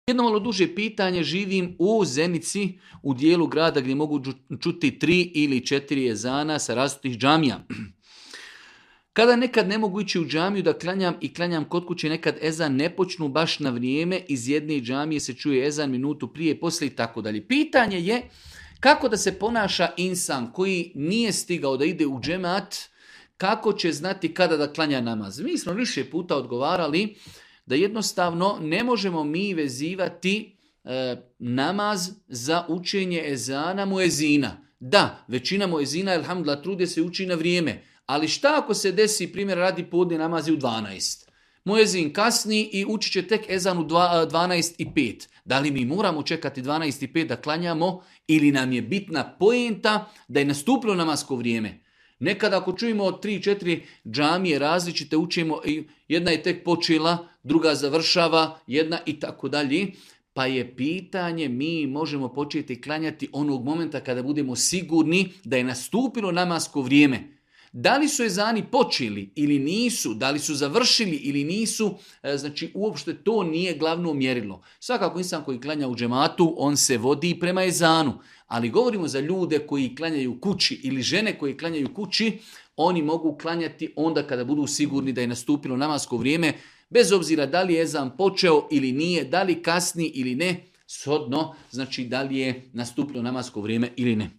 Jedno malo duže pitanje, živim u Zenici, u dijelu grada gdje mogu čuti 3 ili 4 ezana sa različitih džamija. Kada nekad ne mogu ići u džamiju da klanjam kod kuće, nekad ezan ne počnu baš na vrijeme, iz jedne džamije se čuje ezan minutu prije, poslije i tako dalje. Pitanje je kako da se ponaša insan koji nije stigao da ide u džemat, kako će znati kada da klanja namaz. Mi smo više puta odgovarali da jednostavno ne možemo mi vezivati namaz za učenje ezana muezina. Da, većina muezina, elhamdulillah, trude se uči na vrijeme. Ali šta ako se desi, primjer, radi podne namazi u 12? Muezin kasni i učit će tek ezan u 12:05. Da li mi moramo čekati 12:05 da klanjamo ili nam je bitna poenta da je nastupilo namasko vrijeme? Nekada ako čujemo od 3-4 džamije različite učimo, jedna je tek počela, druga završava, jedna i tako dalje. Pa je pitanje, mi možemo početi klanjati onog momenta kada budemo sigurni da je nastupilo namasko vrijeme. Da li su ezani počeli ili nisu, da li su završili ili nisu, znači uopšte to nije glavno mjerilo. Svakako insan koji klanja u džematu, on se vodi prema ezanu. Ali govorimo za ljude koji klanjaju kući ili žene koji klanjaju kući, oni mogu klanjati onda kada budu sigurni da je nastupilo namasko vrijeme, bez obzira da li je ezan počeo ili nije, da li kasni ili ne, shodno, znači da li je nastupilo namasko vrijeme ili ne.